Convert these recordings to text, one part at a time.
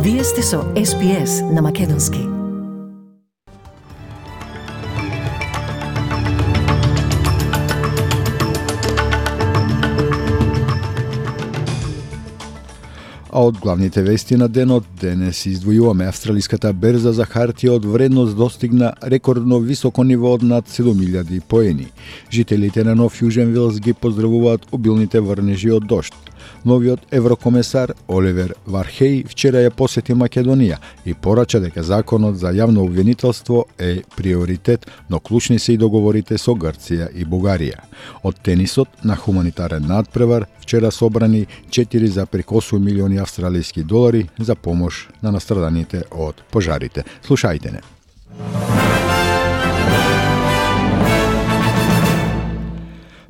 Вие сте со SPS на Македонски. А од главните вести на денот, денес издвојуваме австралиската берза за хартија од вредност достигна рекордно високо ниво од над 7000 поени. Жителите на Нов Јужен Велс ги поздравуваат обилните врнежи од дожд. Новиот еврокомесар Оливер Вархеј вчера ја посети Македонија и порача дека законот за јавно обвинителство е приоритет, но клучни се и договорите со Грција и Бугарија. Од тенисот на хуманитарен надпревар вчера собрани 4,8 милиони австралијски долари за помош на настраданите од пожарите. Слушајте не.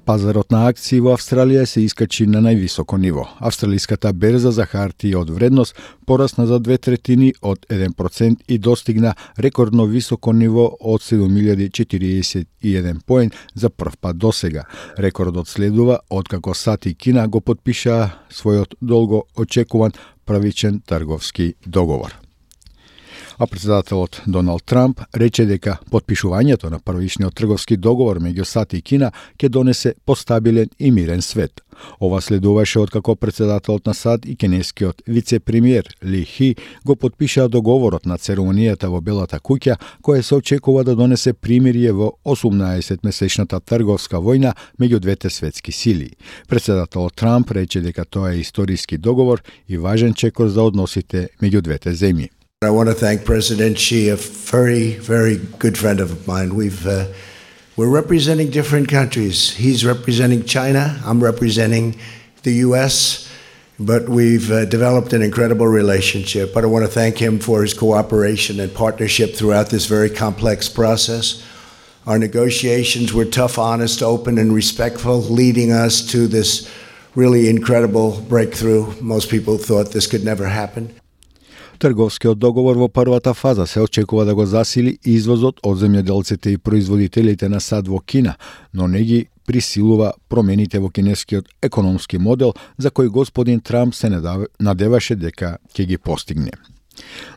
Пазарот на акции во Австралија се искачи на највисоко ниво. Австралиската берза за хартија од вредност порасна за 2/3 од 1% и достигна рекордно високо ниво од 7041 поен за прв пат досега. Рекордот следува откако САД и Кина го потпишаа својот долго очекуван правичен трговски договор. А председателот Доналд Трамп рече дека потпишувањето на првичниот трговски договор меѓу САД и Кина ќе донесе постабилен и мирен свет. Ова следуваше откако председателот на САД и кинескиот вице-премиер Ли Хи го потпишаа договорот на церемонијата во Белата куќа, која се очекува да донесе примирие во 18-месечната трговска војна меѓу двете светски сили. Председателот Трамп рече дека тоа е историски договор и важен чекор за односите меѓу двете земји. I want to thank President Xi, a very, very good friend of mine. We're representing different countries. He's representing China. I'm representing the U.S., but we've developed an incredible relationship. But I want to thank him for his cooperation and partnership throughout this very complex process. Our negotiations were tough, honest, open, and respectful, leading us to this really incredible breakthrough. Most people thought this could never happen. Трговскиот договор во првата фаза се очекува да го засили извозот од земјоделците и производителите на сад во Кина, но не ги присилува промените во кинескиот економски модел за кој господин Трамп се надеваше дека ќе ги постигне.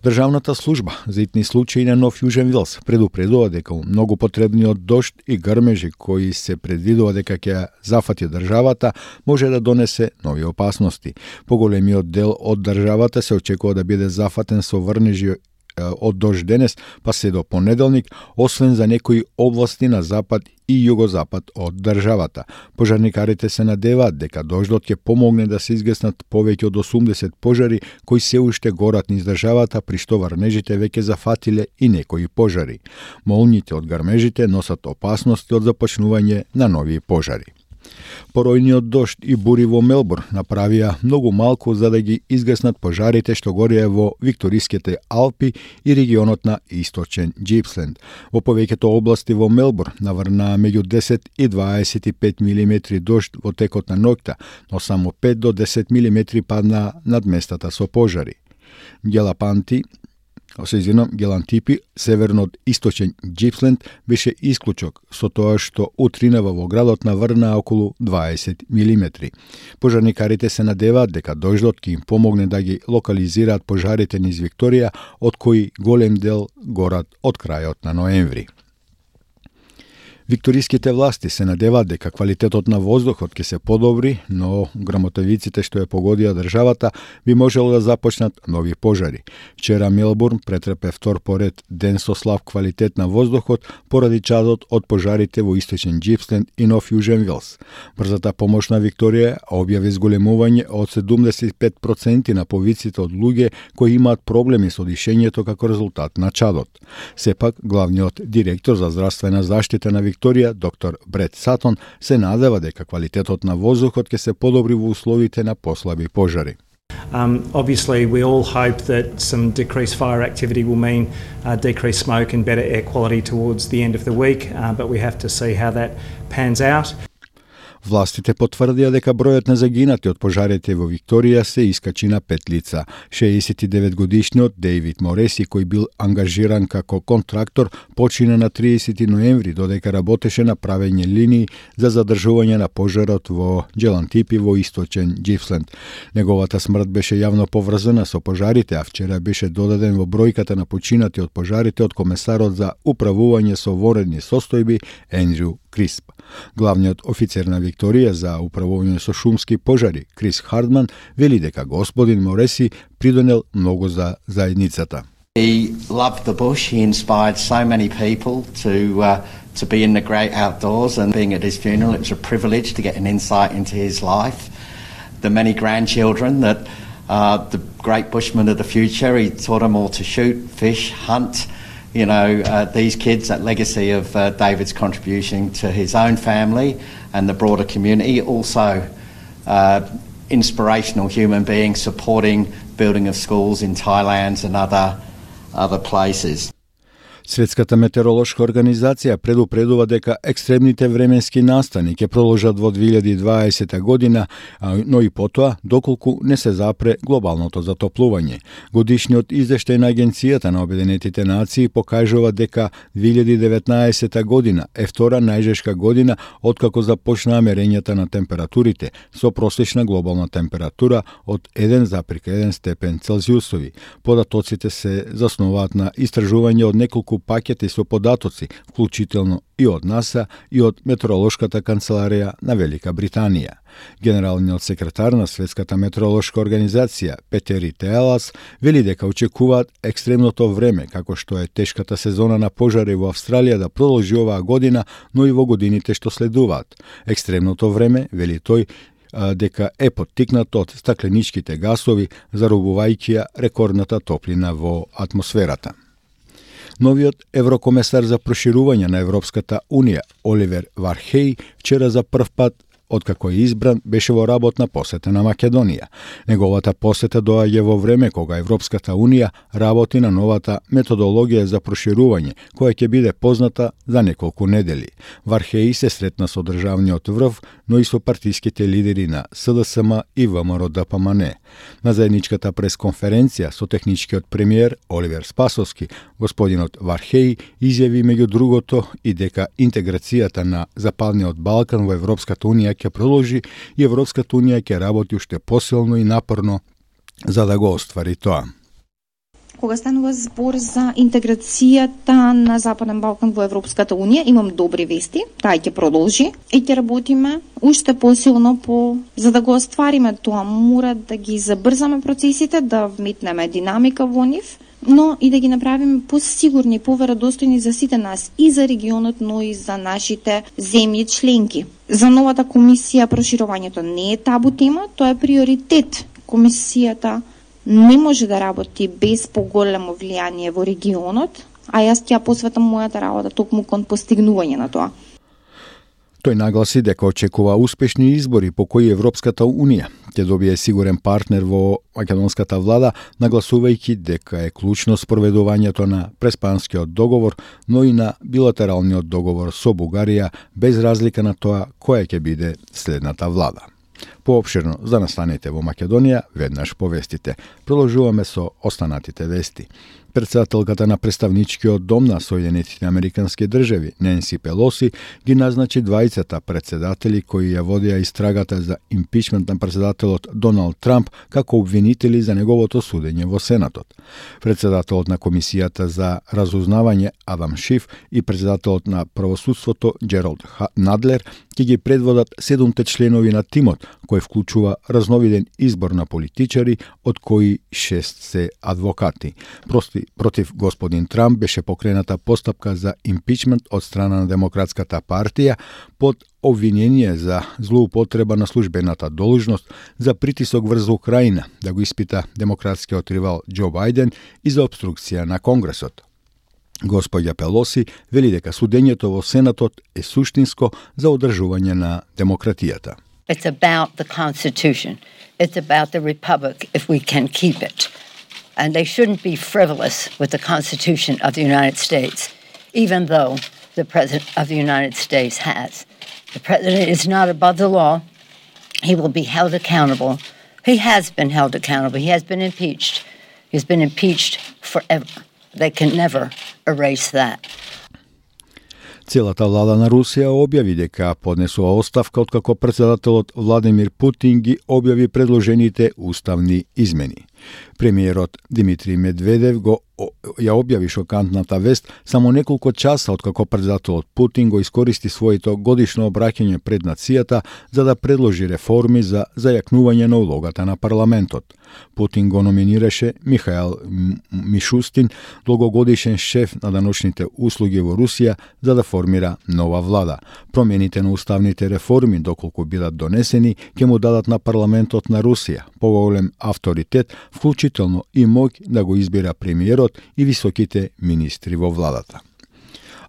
Државната служба за итни случаи на Нов Јужен Велс предупредува дека многу потребниот дожд и грмежи кои се предвидува дека ќе зафати државата може да донесе нови опасности. Поголемиот дел од државата се очекува да биде зафатен со врнежи од дожд денес па се до понеделник, освен за некои области на запад и југозапад од државата. Пожарникарите се надеваат дека дождот ќе помогне да се изгаснат повеќе од 80 пожари кои се уште горат низ државата, при што врнежите веќе зафатиле и некои пожари. Молњите од грмежите носат опасности од започнување на нови пожари. Поројниот дожд и бури во Мелбурн направија многу малку за да ги изгаснат пожарите што гореа во Викториските Алпи и регионот на Источен Џипсленд. Во повеќето области во Мелбурн наврнаа меѓу 10 и 25 милиметри дожд во текот на ноќта, но само 5 до 10 милиметри паднаа над местата со пожари. Гелантипи, северно од Источен Џипсленд, беше исклучок со тоа што утринава во градот наврнаа околу 20 милиметри. Пожарникарите се надеваат дека дождот ќе им помогне да ги локализираат пожарите низ Викторија, од кои голем дел горат од крајот на ноември. Викториските власти се надеваат дека квалитетот на воздухот ќе се подобри, но грмотевиците што ја погодија државата би можело да започнат нови пожари. Вчера Мелбурн претрпе втор поред ден со слаб квалитет на воздухот поради чадот од пожарите во Источен Џипсленд и Нов Јужен Велс. Брзата помош на Викторија објави зголемување од 75% на повиците од луѓе кои имаат проблеми со дишењето како резултат на чадот. Сепак, главниот директор за здравствена заштита на Викторија, доктор Брет Сатон, се надева дека квалитетот на воздухот ќе се подобри во условите на послаби пожари. Obviously, we all hope that some decreased fire activity will mean decreased smoke and better air quality towards the end of the week, but we have to see how that pans out. Властите потврдија дека бројот на загинати од пожарите во Викторија се искачи на 5 лица. 69-годишниот Дейвид Мореси, кој бил ангажиран како контрактор, почина на 30 ноември, додека работеше на правење линии за задржување на пожарот во Джелантипи во источен Џифсленд. Неговата смрт беше јавно поврзана со пожарите, а вчера беше додаден во бројката на починати од пожарите од комесарот за управување со воредни состојби Ендрю Крисп. Главниот офицер на Викторија за управување со шумски пожари, Крис Хардман, вели дека господин Мореси придонел многу за заедницата. He loved the bush. He inspired so many people to be in the great outdoors, and being at his funeral, it was a privilege to get an insight into his life. The many grandchildren that the great bushman of the future, he taught them all to shoot, fish, hunt. You know, these kids, that legacy of David's contribution to his own family and the broader community, also inspirational human being supporting building of schools in Thailand and other places. Светската метеоролошка организација предупредува дека екстремните временски настани ќе продолжат во 2020 година, но и потоа доколку не се запре глобалното затоплување. Годишниот извештај на Агенцијата на Обединетите нации покажува дека 2019 година е втора најжешка година откако започнаа мерењата на температурите, со просечна глобална температура од 1,1 степен Целзиусови. Податоците се заснуваат на истражување од неколку пакети со податоци, вклучително и од НАСА и од Метеоролошката канцеларија на Велика Британија. Генералниот секретар на Светската метеоролошка организација Петери Теалас вели дека очекуваат екстремното време, како што е тешката сезона на пожари во Австралија, да продолжи оваа година, но и во годините што следуваат. Екстремното време, вели тој, дека е поттикнато од стакленичките гасови, заробувајќи ја рекордната топлина во атмосферата. Новиот еврокомесар за проширување на Европската Унија, Оливер Вархеј, вчера за прв пат откако е избран, беше во работна посета на Македонија. Неговата посета доаѓа во време кога Европската Унија работи на новата методологија за проширување, која ќе биде позната за неколку недели. Вархеј се сретна со државниот врв, но и со партиските лидери на СДСМ и ВМРО-ДПМН. На заедничката пресконференција со техничкиот премиер Оливер Спасовски, господинот Вархеј изјави меѓу другото и дека интеграцијата на Западниот Балкан во Европската Унија ќе продолжи и Европската Унија ќе работи уште посилно и напорно за да го оствари тоа. Кога станува збор за интеграцијата на Западен Балкан во Европската Унија, имам добри вести. Таа ќе продолжи и ќе работиме уште посилно за да го оствариме тоа. Мора да ги забрзаме процесите, да вметнеме динамика во нив, но и да ги направиме посигурни, поверодостојни за сите нас, и за регионот, но и за нашите земји членки. За новата комисија проширувањето не е табу тема, тоа е приоритет. Комисијата не може да работи без поголемо влијание во регионот, а јас ќе посветам мојата работа токму кон постигнување на тоа. Тој нагласи дека очекува успешни избори по кои Европската Унија ќе добие сигурен партнер во македонската влада, нагласувајќи дека е клучно спроведувањето на Преспанскиот договор, но и на билатералниот договор со Бугарија, без разлика на тоа која ќе биде следната влада. Поопширно за настаните во Македонија, веднаш повестите. Продолжуваме со останатите вести. Председателката на представничкиот дом на Соединетите Американски држави, Ненси Пелоси, ги назначи двајцата председатели кои ја водеа истрагата за импичмент на председателот Доналд Трамп како обвинители за неговото судење во Сенатот. Председателот на Комисијата за разузнавање Адам Шиф и председателот на правосудството Джералд Надлер ќе ги предводат 7 членови на тимот, кој вклучува разновиден избор на политичари, од кои 6 се адвокати. Против господин Трамп беше покрената постапка за импичмент од страна на Демократската партија под обвинение за злоупотреба на службената должност, за притисок врз Украина, да го испита демократскиот ривал Џо Бајден и за обструкција на Конгресот. Господја Пелоси вели дека судењето во Сенатот е суштинско за одржување на демократијата. It's about the Constitution. It's about the Republic if we can keep it. And they shouldn't be frivolous with the Constitution of the United States, even though the President of the United States has. The president is not above the law. He will be held accountable. He has been held accountable. He has been impeached. He's been impeached forever. They can never erase that. Целата влада на Русија објави дека поднесува оставка откако претседателот Владимир Путин ги објави предложените уставни измени. Премиерот Димитри Медведев ја објави шокантната вест само неколку часа откако претседателот Путин го искористи своето годишно обраќање пред нацијата за да предложи реформи за зајакнување на улогата на парламентот. Путин го номинираше Михаил Мишустин, долгогодишен шеф на даночните услуги во Русија, за да формира нова влада. Промените на уставните реформи, доколку бидат донесени, ќе му дадат на парламентот на Русија поголем авторитет, вклучително и моќ да го избира премиерот и високите министри во владата.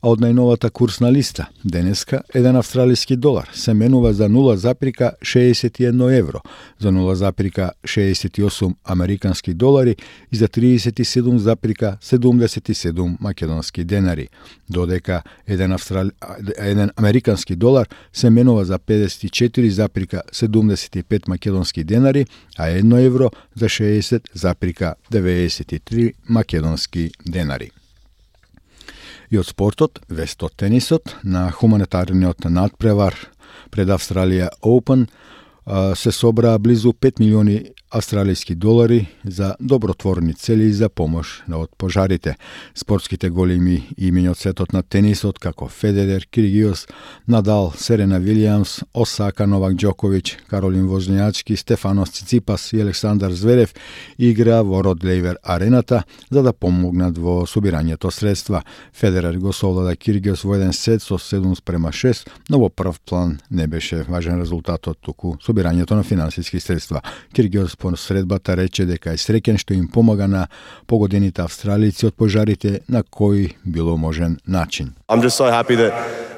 А од најновата курсна листа, денеска, еден австралиски долар се менува за 0,61 евро, за 0,68 американски долари и за 37,77 македонски денари, додека еден американски долар се менува за 54,75 македонски денари, а 1 евро за 60,93 македонски денари. И од спортот, вест од тенисот, на хуманитарниот надпревар пред Австралија Open се собраа близу 5 милиони австралијски долари за добротворни цели и за помош од пожарите. Спортските големи имења од светот на тенисот, како Федерер, Киргиос, Надал, Серена Вилијамс, Осака, Новак Џоковиќ, Каролин Возњачки, Стефанос Циципас и Александар Зверев играа во Род Лејвер арената за да помогнат во собирањето средства. Федерер го совлада Киргиос во еден сет со 7:6, но во прв план не беше важен резултатот, туку собирањето на финансиски средства. Киргиос по средбата рече дека е среќен што им помага на погодените австралици од пожарите на кој било можен начин. I'm just so happy that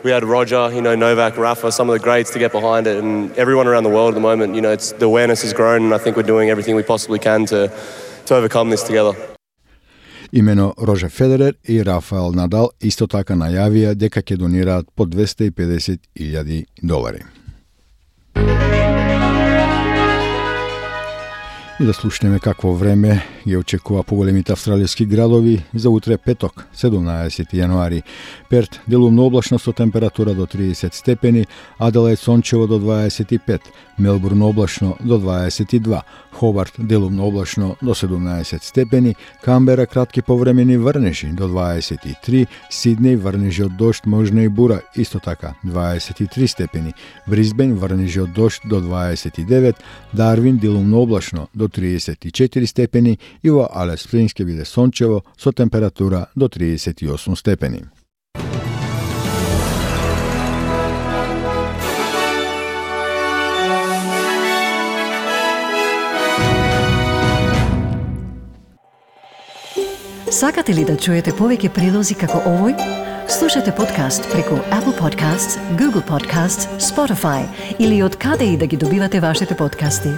we had Roger, Novak, Rafa, some of the greats to get behind it, and everyone around the world at the moment, the awareness has grown, and I think we're doing everything we possibly can to overcome this together. Имено Рожер Федерер и Рафаел Надал исто така најавија дека ќе донираат по $250,000. И да слушнеме какво време ги очекува поголемите австралијски градови за утре петок, 17 јануари. Перт делумно облачно со температура до 30 степени, Аделаид сончево до 25, Мелбурн облачно до 22, Хобарт делумно облачно до 17 степени, Камбера кратки повремени врнежи до 23, Сиднеј врнежи од дожд, можна и бура, исто така 23 степени, Брисбен врнежи од дожд до 29, Дарвин делумно облачно до 34 степени и во Алис Спрингс ќе биде сончево со температура до 38 степени. Сакате ли да чуете повеќе прилози како овој? Слушате подкаст преку Apple Podcasts, Google Podcasts, Spotify или од каде и да ги добивате вашите подкасти.